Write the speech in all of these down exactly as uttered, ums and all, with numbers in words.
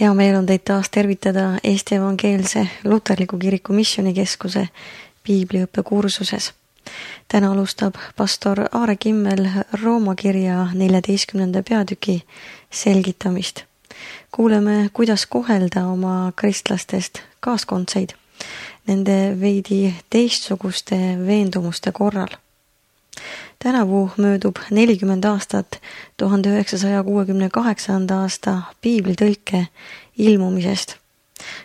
Hea meel on teid taas tervitada Eesti Evangeelse Luterliku Kiriku Missioonikeskuse piibliõppe kursuses. Täna alustab pastor Aare Kimmel Rooma kirja neljateistkümnenda peatüki selgitamist. Kuuleme, kuidas kohelda oma kristlastest kaaskondseid nende veidi teistsuguste veendumuste korral. Tänavu möödub nelikümmend aastat tuhande üheksasaja kuuekümne kaheksanda aasta piiblitõlke ilmumisest.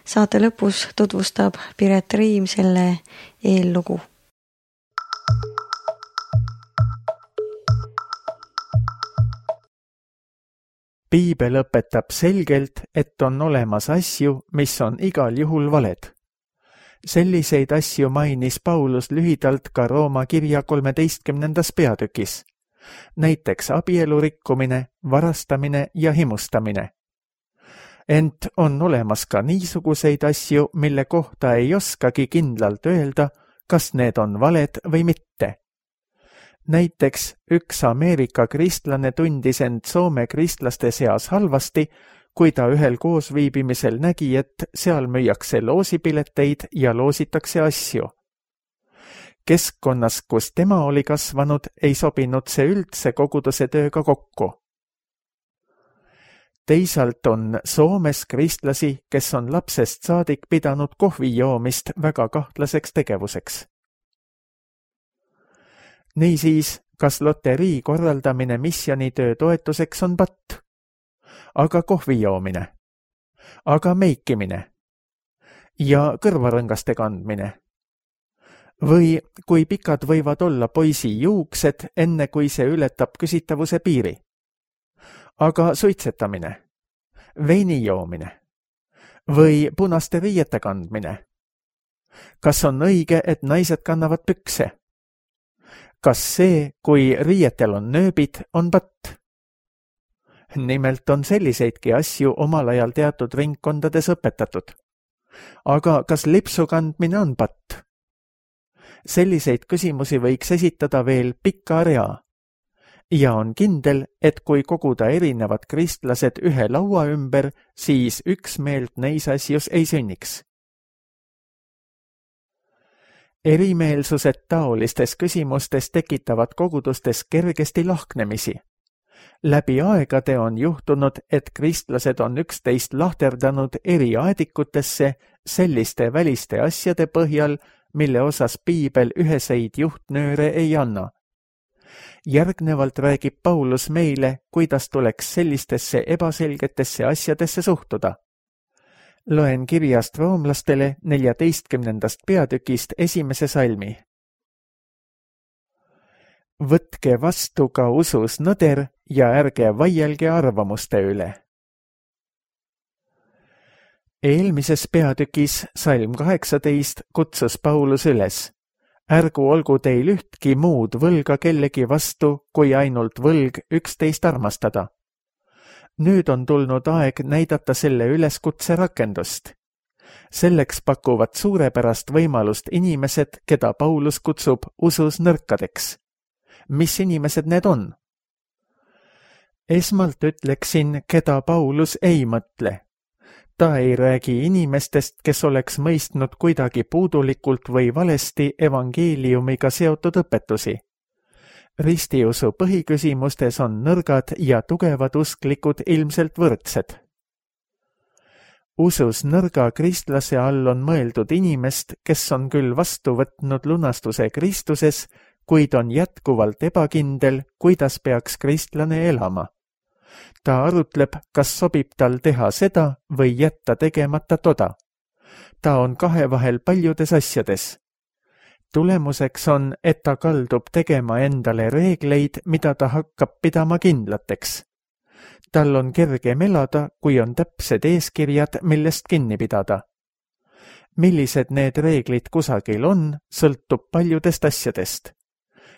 Saate lõpus tutvustab Piret Riim selle eellugu. Piibel õpetab selgelt, et on olemas asju, mis on igal juhul valed. Selliseid asju mainis Paulus lühidalt ka Rooma kirja kolmeteistkümnendas peatükis. Näiteks abielu rikkumine, varastamine ja himustamine. Ent on olemas ka niisuguseid asju, mille kohta ei oskagi kindlalt öelda, kas need on valed või mitte. Näiteks üks Ameerika kristlane tundis end Soome kristlaste seas halvasti, kui ta ühel koosviibimisel nägi, et seal müüakse loosipileteid ja loositakse asju. Keskkonnas, kus tema oli kasvanud, ei sobinud see üldse koguduse tööga kokku. Teisalt on Soomes kristlasi, kes on lapsest saadik pidanud kohvi joomist väga kahtlaseks tegevuseks. Niisiis, kas loterii korraldamine missionitöö toetuseks on patt? Aga kohvi joomine, aga meikimine ja kõrvarõngaste kandmine. Või kui pikad võivad olla poisi juuksed, enne kui see ületab küsitavuse piiri. Aga suitsetamine, veini joomine või punaste riiete kandmine. Kas on õige, et naised kannavad pükse? Kas see, kui riietel on nööbid, on patt? Nimelt on selliseidki asju omal ajal teatud ringkondades õpetatud. Aga kas lipsu kandmine on patt? Selliseid küsimusi võiks esitada veel pika rea. Ja on kindel, et kui koguda erinevad kristlased ühe laua ümber, siis üksmeelt neis asjus ei sünniks. Erimeelsused taolistes küsimustes tekitavad kogudustes kergesti lahknemisi. Läbi aegade on juhtunud, et kristlased on üksteist lahterdanud eri aedikutesse selliste väliste asjade põhjal, mille osas piibel üheseid juhtnööre ei anna. Järgnevalt räägib Paulus meile, kuidas tuleks sellistesse ebaselgetesse asjadesse suhtuda. Loen kirjast roomlastele neljateistkümnendast peatükist esimese salmi. Võtke vastu ka usus nõder ja ärge vaielge arvamuste üle. Eelmises peatükis salm kaheksateist kutsus Paulus üles. Ärgu olgu teil ühtki muud võlga kellegi vastu, kui ainult võlg üksteist armastada. Nüüd on tulnud aeg näidata selle üleskutse rakendust. Selleks pakuvad suurepärast võimalust inimesed, keda Paulus kutsub usus nõrkadeks. Mis inimesed need on? Esmalt ütleksin, keda Paulus ei mõtle. Ta ei räägi inimestest, kes oleks mõistnud kuidagi puudulikult või valesti evangeeliumiga seotud õpetusi. Ristiusu põhiküsimustes on nõrgad ja tugevad usklikud ilmselt võrdsed. Usus nõrga kristlase all on mõeldud inimest, kes on küll vastu võtnud lunastuse Kristuses, kuid on jätkuvalt ebakindel, kuidas peaks kristlane elama. Ta arutleb, kas sobib tal teha seda või jätta tegemata toda. Ta on kahe vahel paljudes asjades. Tulemuseks on, et ta kaldub tegema endale reegleid, mida ta hakkab pidama kindlateks. Tal on kergem elada, kui on täpsed eeskirjad, millest kinni pidada. Millised need reeglid kusagil on, sõltub paljudest asjadest.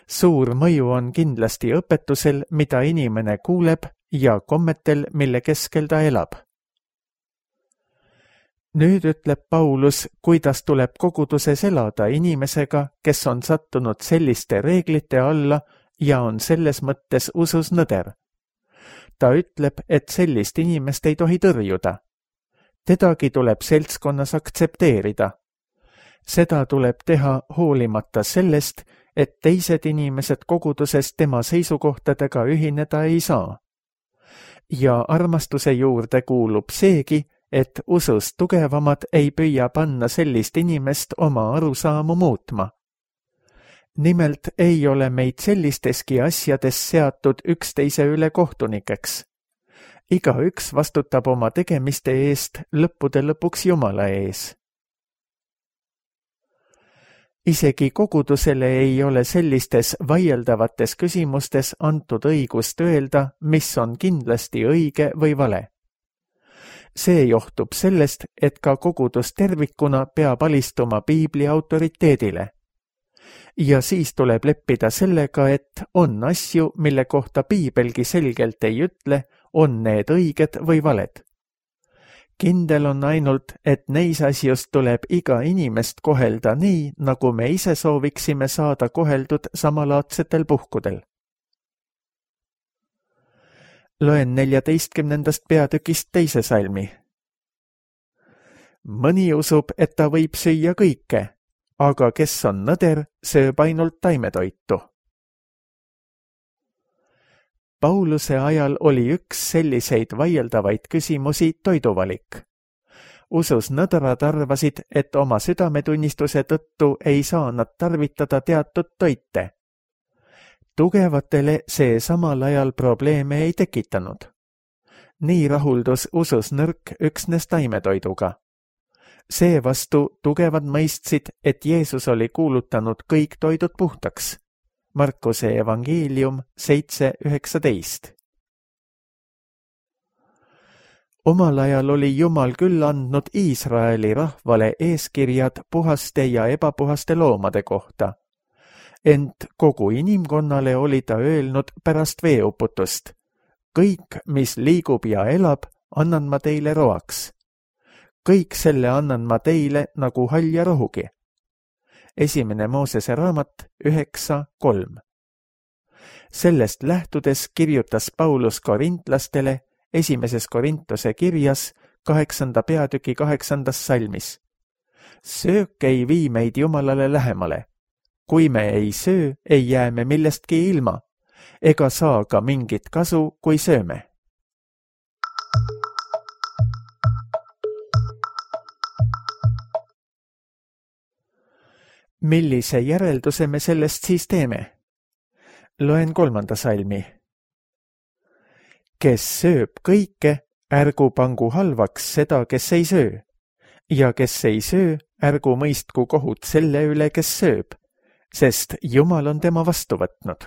Suur mõju on kindlasti õpetusel, mida inimene kuuleb, ja kommetel, mille keskel ta elab. Nüüd ütleb Paulus, kuidas tuleb koguduses elada inimesega, kes on sattunud selliste reeglite alla ja on selles mõttes usus nõder. Ta ütleb, et sellist inimest ei tohi tõrjuda. Tedagi tuleb seltskonnas aktsepteerida. Seda tuleb teha hoolimata sellest, et teised inimesed koguduses tema seisukohtadega ühineda ei saa. Ja armastuse juurde kuulub seegi, et usus tugevamad ei püüa panna sellist inimest oma arusaamu muutma. Nimelt ei ole meid sellisteski asjades seatud üksteise üle kohtunikeks. Igaüks vastutab oma tegemiste eest lõppude lõpuks Jumala ees. Isegi kogudusele ei ole sellistes vaieldavates küsimustes antud õigust öelda, mis on kindlasti õige või vale. See johtub sellest, et ka kogudus tervikuna peab alistuma piibli autoriteedile. Ja siis tuleb leppida sellega, et on asju, mille kohta piibelgi selgelt ei ütle, on need õiged või valed. Kindel on ainult, et neis asjust tuleb iga inimest kohelda nii, nagu me ise sooviksime saada koheldud samalaadsetel puhkudel. Loen neljateistkümnendast peatükist teise salmi. Mõni usub, et ta võib süüa kõike, aga kes on nõder, sööb ainult taimetoitu. Pauluse ajal oli üks selliseid vaieldavaid küsimusi toiduvalik. Usus nõdrad arvasid, et oma südametunnistuse tõttu ei saa nad tarvitada teatud toite. Tugevatele see samal ajal probleeme ei tekitanud. Nii rahuldus usus nõrk üksnes taimetoiduga. Seevastu tugevad mõistsid, et Jeesus oli kuulutanud kõik toidud puhtaks. Markuse evangeelium seitse üheksateist. Omal ajal oli Jumal küll andnud Iisraeli rahvale eeskirjad puhaste ja ebapuhaste loomade kohta. Ent kogu inimkonnale oli ta öelnud pärast veeuputust. Kõik, mis liigub ja elab, annan ma teile roaks. Kõik selle annan ma teile nagu hall ja rohugi. Esimene Moosese raamat üheksa kolm. Sellest lähtudes kirjutas Paulus korintlastele esimeses Korintuse kirjas kaheksanda peatüki kaheksandas salmis. Söök ei vii meid Jumalale lähemale. Kui me ei söö, ei jää me millestki ilma, ega saa ka mingit kasu, kui sööme. Millise järelduse me sellest siis teeme? Loen kolmanda salmi. Kes sööb kõike, ärgu pangu halvaks seda, kes ei söö. Ja kes ei söö, ärgu mõistku kohut selle üle, kes sööb, sest Jumal on tema vastu võtnud.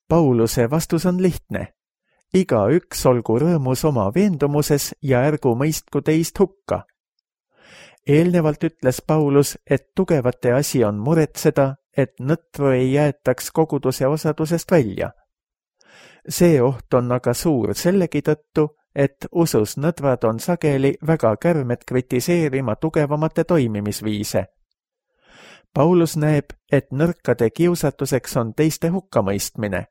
Pauluse vastus on lihtne. Iga üks olgu rõõmus oma veendumuses ja ärgu mõistku teist hukka. Eelnevalt ütles Paulus, et tugevate asi on muretseda, et nõtru ei jäetaks koguduse osadusest välja. See oht on aga suur sellegi tõttu, et usus nõdrad on sageli väga kärmed kritiseerima tugevamate toimimisviise. Paulus näeb, et nõrkade kiusatuseks on teiste hukkamõistmine,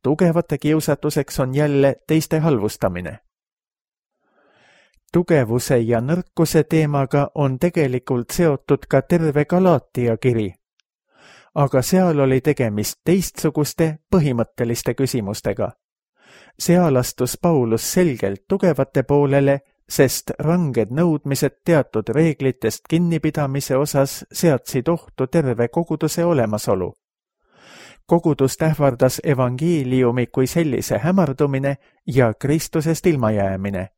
tugevate kiusatuseks on jälle teiste halvustamine. Tugevuse ja nõrkuse teemaga on tegelikult seotud ka terve Galaatia kiri. Aga seal oli tegemist teistsuguste põhimõtteliste küsimustega. Seal astus Paulus selgelt tugevate poolele, sest ranged nõudmised teatud reeglitest kinnipidamise osas seadsid ohtu terve koguduse olemasolu. Kogudust ähvardas evangeeliumi kui sellise hämardumine ja Kristusest ilmajäämine.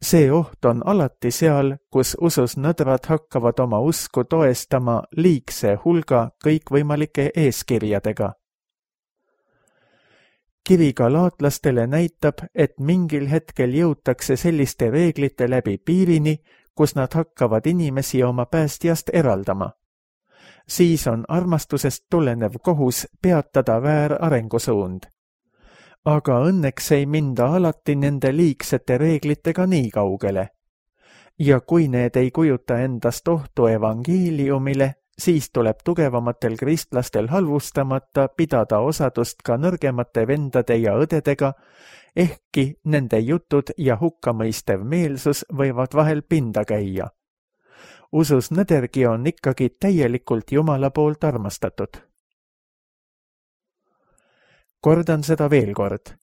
See oht on alati seal, kus usus nõdrad hakkavad oma usku toestama liigse hulga kõikvõimalike eeskirjadega. Kiri galaatlastele näitab, et mingil hetkel jõutakse selliste reeglite läbi piirini, kus nad hakkavad inimesi oma päästjast eraldama. Siis on armastusest tulenev kohus peatada väär arengusuund. Aga õnneks ei minda alati nende liigsete reeglitega nii kaugele. Ja kui need ei kujuta endast ohtu evangeeliumile, siis tuleb tugevamatel kristlastel halvustamata pidada osadust ka nõrgemate vendade ja õdedega ehkki nende jutud ja hukkamõistev meelsus võivad vahel pinda käia. Usus nõdergi on ikkagi täielikult Jumala poolt armastatud. Kordan seda veel kord.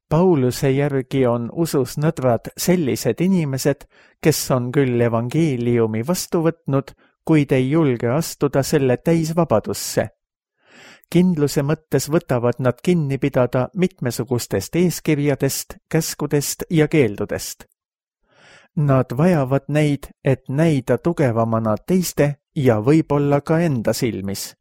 Pauluse järgi on usus nõdrad sellised inimesed, kes on küll evangeeliumi vastu võtnud, kuid ei julge astuda selle täisvabadusse. Kindluse mõttes võtavad nad kinni pidada mitmesugustest eeskirjadest, käskudest ja keeldudest. Nad vajavad neid, et näida tugevamana teiste ja võib-olla ka enda silmis.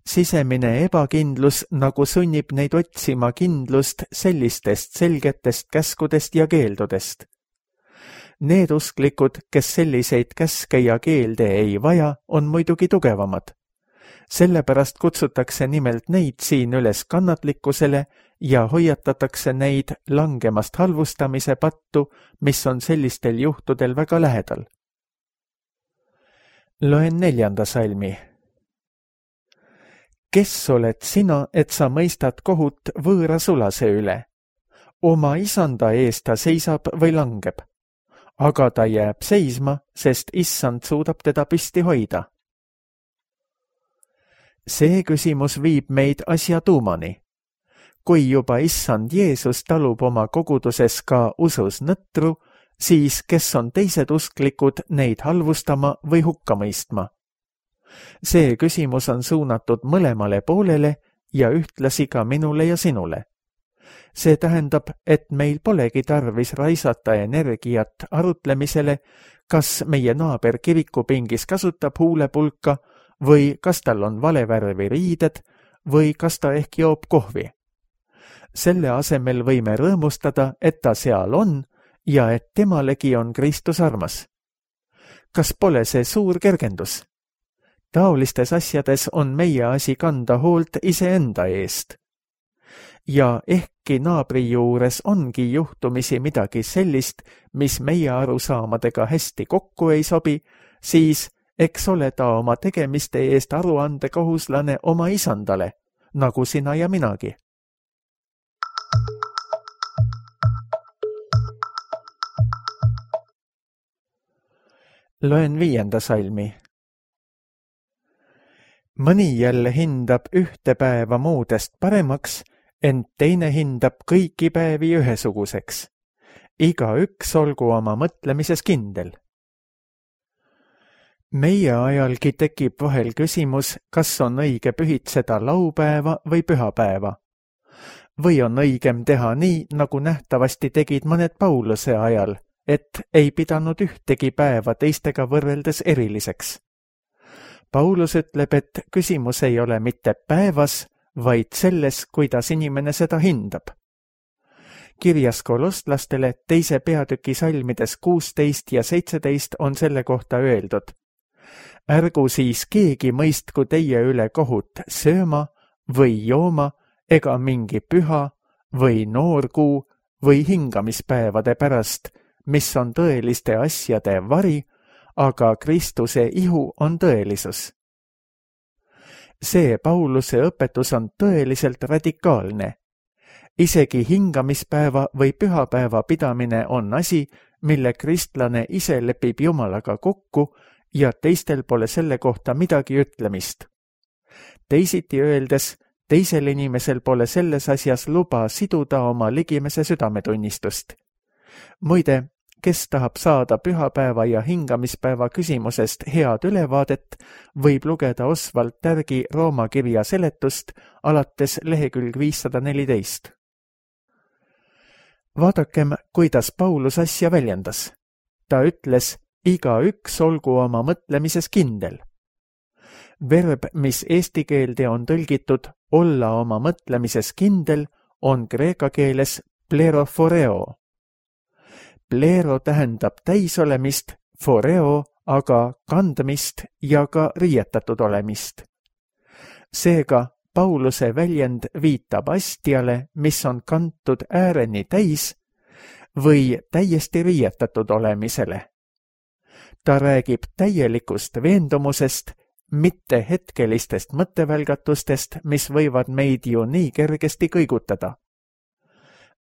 Sisemine ebakindlus nagu sunnib neid otsima kindlust sellistest selgetest käskudest ja keeldudest. Need usklikud, kes selliseid käske ja keelde ei vaja, on muidugi tugevamad. Sellepärast kutsutakse nimelt neid siin üles kannatlikkusele ja hoiatatakse neid langemast halvustamise pattu, mis on sellistel juhtudel väga lähedal. Loen neljanda salmi. Kes oled sina, et sa mõistad kohut võõra sulase üle? Oma isanda eest ta seisab või langeb, aga ta jääb seisma, sest issand suudab teda püsti hoida. See küsimus viib meid asja tuumani. Kui juba issand Jeesus talub oma koguduses ka usus nõtru, siis kes on teised usklikud neid halvustama või hukka mõistma? See küsimus on suunatud mõlemale poolele ja ühtlasi ka minule ja sinule. See tähendab, et meil polegi tarvis raisata energiat arutlemisele, kas meie naaber kirikupingis kasutab huulepulka või kas tal on valevärvi riided või kas ta ehk joob kohvi. Selle asemel võime rõõmustada, et ta seal on ja et temalegi on Kristus armas. Kas pole see suur kergendus? Taolistes asjades on meie asi kanda hoolt iseenda eest. Ja ehkki naabri juures ongi juhtumisi midagi sellist, mis meie arusaamadega hästi kokku ei sobi, siis eks ole ta oma tegemiste eest aruandekohuslane oma isandale, nagu sina ja minagi. Loen viienda salmi. Mõni jälle hindab ühte päeva muudest paremaks, ent teine hindab kõiki päevi ühesuguseks. Iga üks olgu oma mõtlemises kindel. Meie ajalgi tekib vahel küsimus, kas on õige pühitseda laupäeva või pühapäeva. Või on õigem teha nii, nagu nähtavasti tegid mõned Pauluse ajal, et ei pidanud ühtegi päeva teistega võrreldes eriliseks. Paulus ütleb, et küsimus ei ole mitte päevas, vaid selles, kuidas inimene seda hindab. Kirjas kolostlastele teise peatüki salmides kuusteist ja seitseteist on selle kohta öeldud. Ärgu siis keegi mõistku teie üle kohut sööma või jooma ega mingi püha või noorkuu või hingamispäevade pärast, mis on tõeliste asjade vari, aga Kristuse ihu on tõelisus. See Pauluse õpetus on tõeliselt radikaalne. Isegi hingamispäeva või pühapäeva pidamine on asi, mille kristlane ise lepib Jumalaga kokku ja teistel pole selle kohta midagi ütlemist. Teisiti öeldes, teisel inimesel pole selles asjas luba siduda oma ligimese südametunnistust. Muide, kes tahab saada pühapäeva ja hingamispäeva küsimusest head ülevaadet, võib lugeda Oswald Tärgi Rooma kirja seletust alates lehekülg viissada neliteist. Vaadakem, kuidas Paulus asja väljendas. Ta ütles, iga üks olgu oma mõtlemises kindel. Verb, mis eesti keelde on tõlgitud olla oma mõtlemises kindel, on kreeka keeles pleroforeo. Plero tähendab täisolemist, foreo aga kandmist ja ka riietatud olemist. Seega Pauluse väljend viitab astjale, mis on kantud ääreni täis või täiesti riietatud olemisele. Ta räägib täielikust veendumusest, mitte hetkelistest mõttevälgatustest, mis võivad meid ju nii kergesti kõigutada.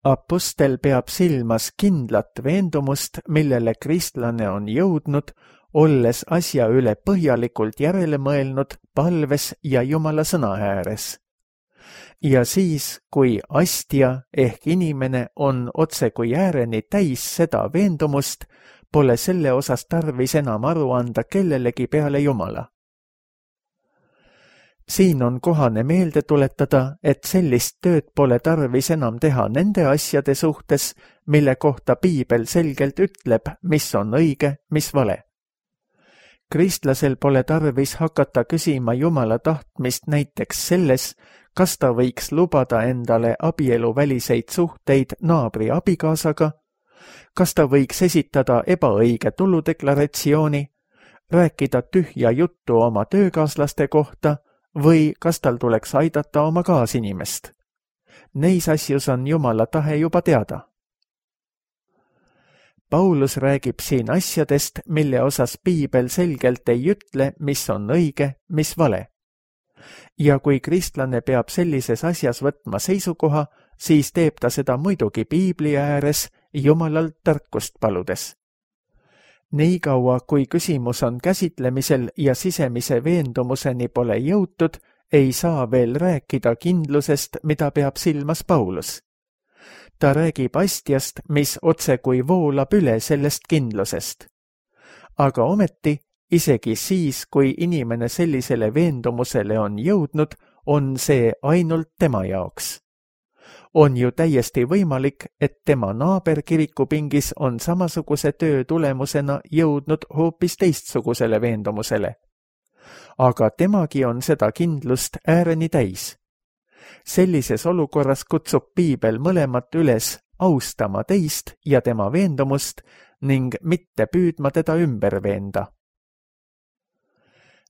Apostel peab silmas kindlat veendumust, millele kristlane on jõudnud, olles asja üle põhjalikult järele mõelnud palves ja Jumala sõna ääres. Ja siis, kui astja ehk inimene on otse kui ääreni täis seda veendumust, pole selle osas tarvis enam aru anda kellelegi peale Jumala. Siin on kohane meelde tuletada, et sellist tööd pole tarvis enam teha nende asjade suhtes, mille kohta piibel selgelt ütleb, mis on õige, mis vale. Kristlasel pole tarvis hakata küsima Jumala tahtmist näiteks selles, kas ta võiks lubada endale abieluväliseid suhteid naabri abikaasaga, kas ta võiks esitada ebaõige tuludeklaratsiooni, rääkida tühja juttu oma töökaaslaste kohta või kas tal tuleks aidata oma kaasinimest. Neis asjus on Jumala tahe juba teada. Paulus räägib siin asjadest, mille osas piibel selgelt ei ütle, mis on õige, mis vale. Ja kui kristlane peab sellises asjas võtma seisukoha, siis teeb ta seda muidugi piibli ääres Jumalalt tarkust paludes. Nii kaua, kui küsimus on käsitlemisel ja sisemise veendumuseni pole jõutud, ei saa veel rääkida kindlusest, mida peab silmas Paulus. Ta räägib astjast, mis otse kui voolab üle sellest kindlusest. Aga ometi, isegi siis, kui inimene sellisele veendumusele on jõudnud, on see ainult tema jaoks. On ju täiesti võimalik, et tema naaber kirikupingis on samasuguse töö tulemusena jõudnud hoopis teistsugusele veendumusele. Aga temagi on seda kindlust ääreni täis. Sellises olukorras kutsub piibel mõlemat üles austama teist ja tema veendumust ning mitte püüdma teda ümber veenda.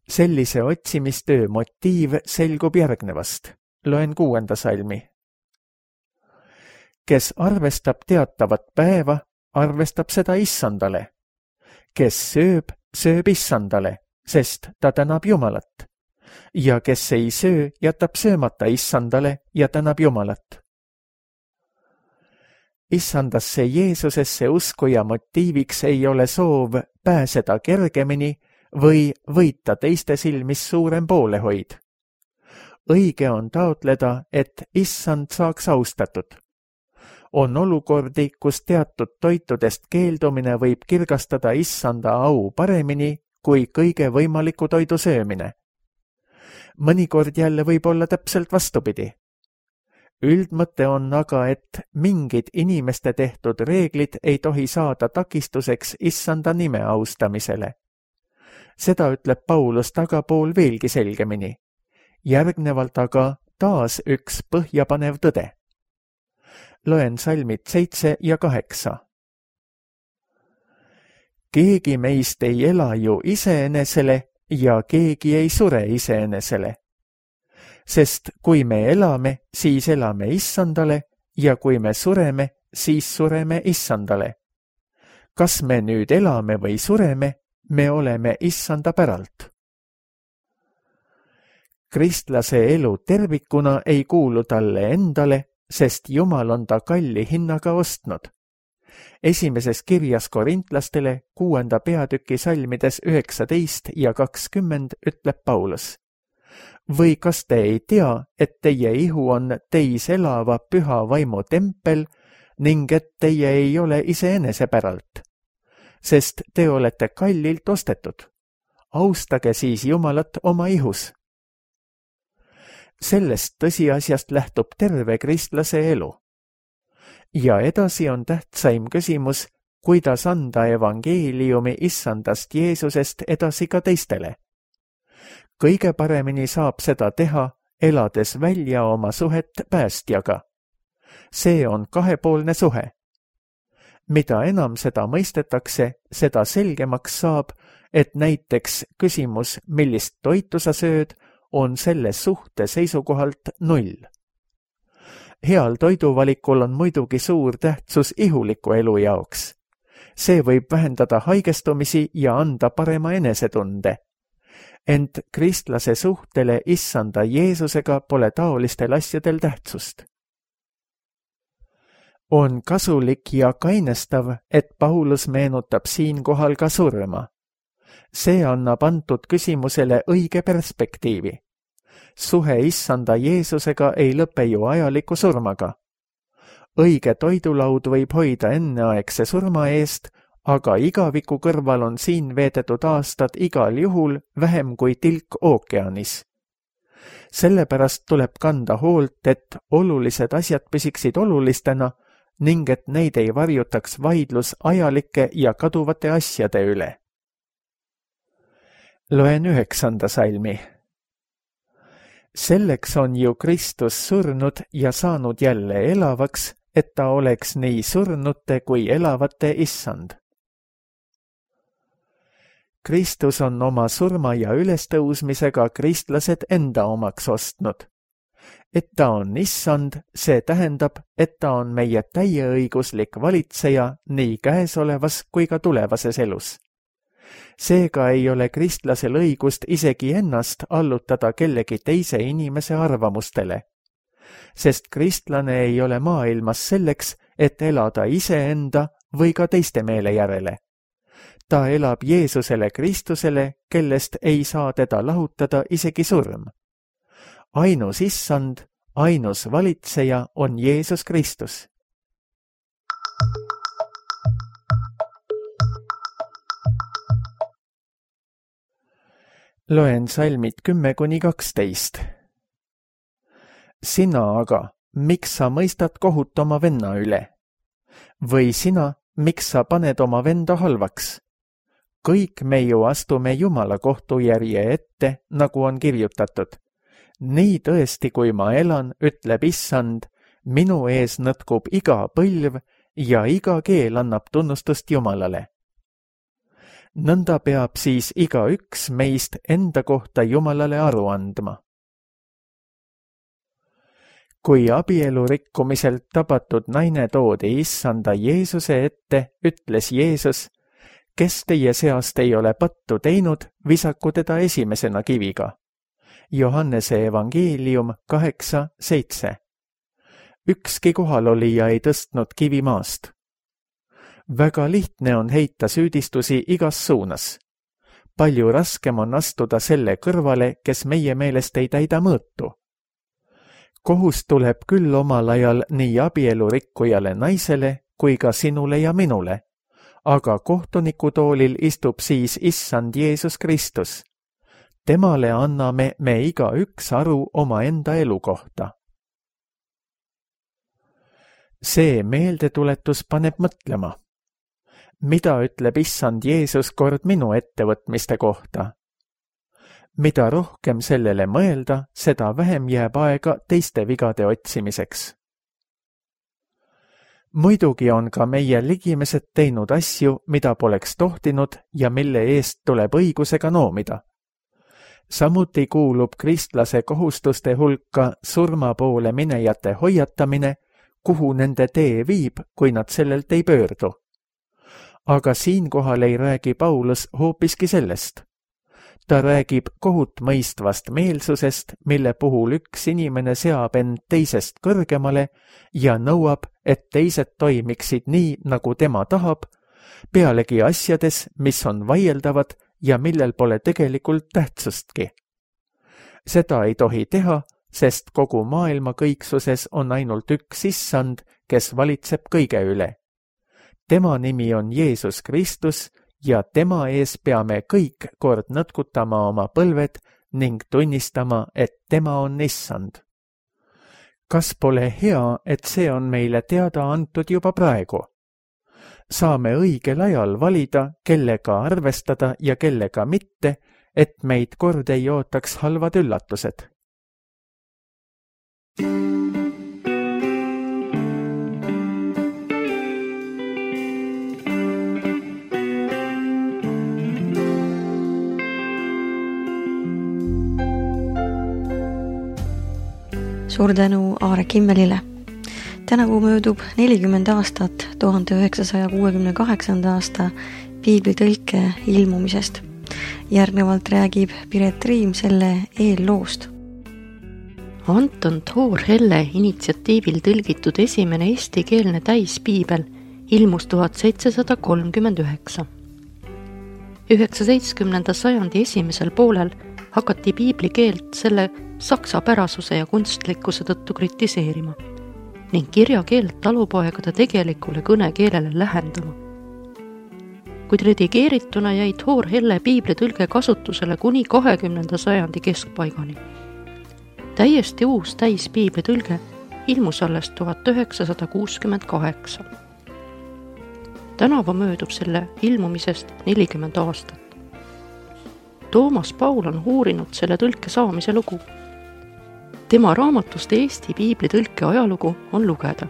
Sellise otsimistöö motiiv selgub järgnevast. Loen kuuenda salmi. Kes arvestab teatavat päeva, arvestab seda issandale. Kes sööb, sööb issandale, sest ta tänab Jumalat. Ja kes ei söö, jätab söömata issandale ja tänab Jumalat. Issandasse Jeesusesse uskuja motiiviks ei ole soov pääseda kergemini või võita teiste silmis suurem poolehoid. Õige on taotleda, et issand saaks austatud. On olukordi, kus teatud toitudest keeldumine võib kirgastada issanda au paremini kui kõige võimaliku toidu söömine. Mõnikord jälle võib olla täpselt vastupidi. Üldmõte on aga, et mingid inimeste tehtud reeglid ei tohi saada takistuseks issanda nime austamisele. Seda ütleb Paulus tagapool veelgi selgemini. Järgnevalt aga taas üks põhjapanev tõde. Loen salmid seitse ja kaheksa. Keegi meist ei ela ju iseenesele ja keegi ei sure iseenesele. Sest kui me elame, siis elame issandale ja kui me sureme, siis sureme issandale. Kas me nüüd elame või sureme, me oleme issanda päralt. Kristlase elu tervikuna ei kuulu talle endale, sest Jumal on ta kalli hinnaga ostnud. Esimeses kirjas korintlastele kuuenda peatüki salmides üheksateist ja kakskümmend ütleb Paulus. Või kas te ei tea, et teie ihu on teis elava püha vaimu tempel ning et teie ei ole iseenese päralt? Sest te olete kallilt ostetud. Austage siis Jumalat oma ihus. Sellest tõsiasjast lähtub terve kristlase elu. Ja edasi on tähtsaim küsimus, kuidas anda evangeeliumi issandast Jeesusest edasi ka teistele. Kõige paremini saab seda teha, elades välja oma suhet päästjaga. See on kahepoolne suhe. Mida enam seda mõistetakse, seda selgemaks saab, et näiteks küsimus, millist toitu sa sööd, on selle suhte seisukohalt null. Heal toiduvalikul on muidugi suur tähtsus ihuliku elu jaoks. See võib vähendada haigestumisi ja anda parema enesetunde. Ent kristlase suhtele issanda Jeesusega pole taolistel asjadel tähtsust. On kasulik ja kainestav, et Paulus meenutab siinkohal ka surma. See annab antud küsimusele õige perspektiivi. Suhe issanda Jeesusega ei lõpe ju ajaliku surmaga. Õige toidulaud võib hoida enneaegse surma eest, aga igaviku kõrval on siin veedetud aastad igal juhul vähem kui tilk ookeanis. Sellepärast tuleb kanda hoolt, et olulised asjad püsiksid olulistena ning et neid ei varjutaks vaidlus ajalike ja kaduvate asjade üle. Loen üheksanda salmi. Selleks on ju Kristus surnud ja saanud jälle elavaks, et ta oleks nii surnute kui elavate issand. Kristus on oma surma ja ülestõusmisega kristlased enda omaks ostnud. Et ta on issand, see tähendab, et ta on meie täieõiguslik valitseja nii käesolevas kui ka tulevases elus. Seega ei ole kristlasel õigust isegi ennast allutada kellegi teise inimese arvamustele, sest kristlane ei ole maailmas selleks, et elada iseenda või ka teiste meele järele. Ta elab Jeesusele Kristusele, kellest ei saa teda lahutada isegi surm. Ainus issand, ainus valitseja on Jeesus Kristus. Loen salmid kümme kuni kaksteist. Sina aga, miks sa mõistad kohut oma venna üle? Või sina, miks sa paned oma venda halvaks? Kõik me ju astume Jumala kohtujärje ette, nagu on kirjutatud. Nii tõesti, kui ma elan, ütleb issand, minu ees nõtkub iga põlv ja iga keel annab tunnustust Jumalale. Nõnda peab siis iga üks meist enda kohta Jumalale aru andma. Kui abielu rikkumiselt tabatud naine toodi issanda Jeesuse ette, ütles Jeesus, kes teie seast ei ole pattu teinud, visaku teda esimesena kiviga. Johannese evangeelium kaheksa seitse. Ükski kohalolija ei tõstnud kivi maast. Väga lihtne on heita süüdistusi igas suunas. Palju raskem on astuda selle kõrvale, kes meie meelest ei täida mõõtu. Kohus tuleb küll omal ajal nii abielu rikkujale naisele kui ka sinule ja minule, aga kohtunikutoolil istub siis issand Jeesus Kristus. Temale anname me iga üks aru oma enda elu kohta. See meeldetuletus paneb mõtlema. Mida ütleb issand Jeesus kord minu ettevõtmiste kohta? Mida rohkem sellele mõelda, seda vähem jääb aega teiste vigade otsimiseks. Muidugi on ka meie ligimesed teinud asju, mida poleks tohtinud ja mille eest tuleb õigusega noomida. Samuti kuulub kristlase kohustuste hulka surma poole minejate hoiatamine, kuhu nende tee viib, kui nad sellelt ei pöördu. Aga siinkohal ei räägi Paulus hoopiski sellest. Ta räägib kohut mõistvast meelsusest, mille puhul üks inimene seab end teisest kõrgemale ja nõuab, et teised toimiksid nii, nagu tema tahab, pealegi asjades, mis on vaieldavad ja millel pole tegelikult tähtsustki. Seda ei tohi teha, sest kogu maailma kõiksuses on ainult üks issand, kes valitseb kõige üle. Tema nimi on Jeesus Kristus ja tema ees peame kõik kord nõtkutama oma põlved ning tunnistama, et tema on issand. Kas pole hea, et see on meile teada antud juba praegu? Saame õigel ajal valida, kellega arvestada ja kellega mitte, et meid kord ei ootaks halvad üllatused. Suur tänu Aare Kimmelile. Tänavu möödub nelikümmend aastat tuhande üheksasaja kuuekümne kaheksanda aasta piiblitõlke ilmumisest. Järgnevalt räägib Piret Riim selle eelloost. Anton Toor-Helle initsiatiivil tõlgitud esimene eestikeelne täispiibel ilmus tuhat seitsesada kolmkümmend üheksa. üheksateistkümnenda sajandi esimesel poolel hakati piibli keelt selle saksapärasuse ja kunstlikkuse tõttu kritiseerima ning kirjakeelt talupoegade tegelikule kõnekeelele lähendama. Kuid redigeerituna jäi Toor-Helle piiblitõlge kasutusele kuni kahekümnenda sajandi keskpaigani. Täiesti uus täispiiblitõlge ilmus alles tuhat üheksasada kuuskümmend kaheksa. Tänavu möödub selle ilmumisest nelikümmend aastat. Toomas Paul on uurinud selle tõlke saamise lugu. Tema raamatust Eesti piiblitõlke ajalugu on lugeda.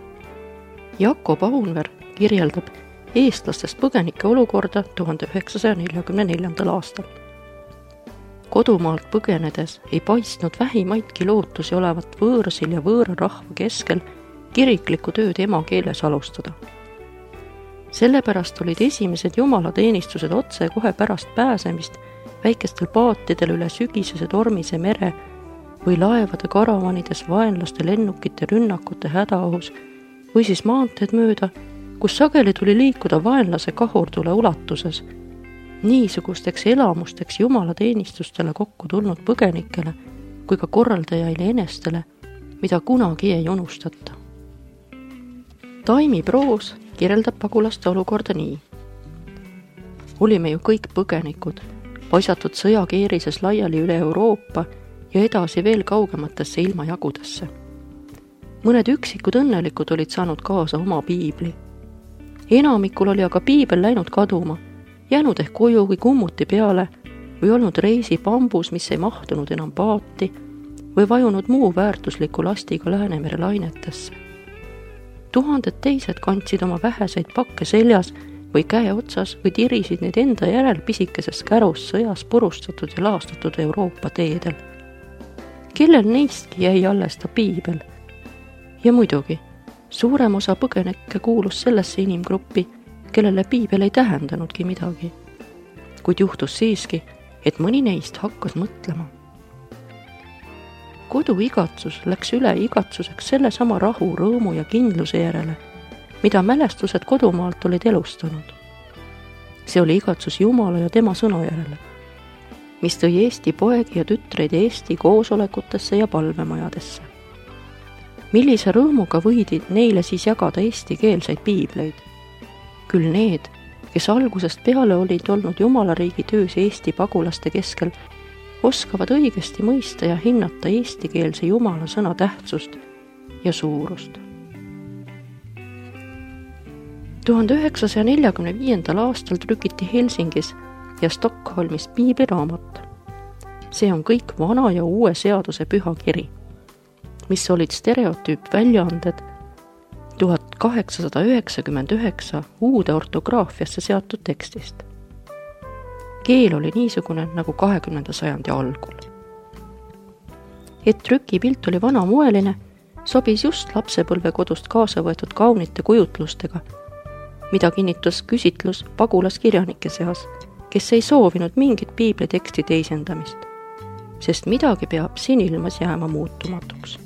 Jakob Aunver kirjeldab eestlastest põgenike olukorda tuhande üheksasaja neljakümne neljandal aastal. Kodumaalt põgenedes ei paistnud vähimaidki lootusi olevat võõrsil ja võõra rahva keskel kiriklikku tööd emakeeles alustada. Sellepärast olid esimesed jumalateenistused otse kohe pärast pääsemist väikestel paatidel üle sügisese tormise mere või laevade karavanides vaenlaste lennukite rünnakute hädaohus või siis maanteed mööda, kus sageli tuli liikuda vaenlase kahurtule ulatuses. Niisugusteks elamusteks jumalateenistustele kokku tulnud põgenikele kui ka korraldajaile enestele, mida kunagi ei unustata. Taimi proos kirjeldab pagulaste olukorda nii. Olime ju kõik põgenikud, paisatud sõjakeerises laiali üle Euroopa ja edasi veel kaugematesse ilmajagudesse. Mõned üksikud õnnelikud olid saanud kaasa oma piibli. Enamikul oli aga piibel läinud kaduma, jäänud ehk koju või kummuti peale või olnud reisi pambus, mis ei mahtunud enam paati või vajunud muu väärtusliku lastiga Läänemere lainetesse. Tuhanded teised kandsid oma väheseid pakke seljas või käe otsas või tirisid neid enda järel pisikeses kärus sõjas purustatud ja laastatud Euroopa teedel. Kellel neistki jäi alles ta piibel? Ja muidugi, suurem osa põgenikke kuulus sellesse inimgruppi, kellele piibel ei tähendanudki midagi. Kuid juhtus siiski, et mõni neist hakkas mõtlema. Kodu igatsus läks üle igatsuseks selle sama rahu, rõõmu ja kindluse järele, mida mälestused kodumaalt olid elustanud. See oli igatsus Jumala ja tema sõna järele, mis tõi Eesti poegi ja tütreid Eesti koosolekutesse ja palvemajadesse. Millise rõõmuga võidi neile siis jagada eestikeelseid piibleid? Küll need, kes algusest peale olid olnud Jumalariigi töös Eesti pagulaste keskel, oskavad õigesti mõista ja hinnata eestikeelse Jumala sõna tähtsust ja suurust. tuhande üheksasaja neljakümne viiendal aastal trükiti Helsingis ja Stockholmis piibliraamat. See on kõik vana ja uue seaduse pühakiri, mis olid stereotüüpväljaanded tuhat kaheksasada üheksakümmend üheksa uude ortograafiasse seatud tekstist. Keel oli niisugune nagu kahekümnenda sajandi algul. Et trükipilt oli vanamoeline, sobis just lapsepõlvekodust kaasa võetud kaunite kujutlustega, mida kinnitas küsitlus pagulaskirjanike seas, kes ei soovinud mingit piibliteksti teisendamist, sest midagi peab siin ilmas jääma muutumatuks.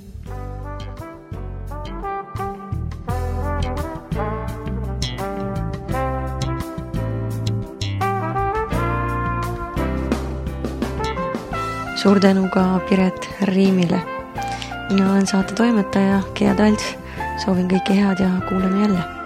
Suur tänu ka Piret Riimile. Mina olen saate toimetaja Gea Talts. Soovin kõike head ja kuuleme jälle.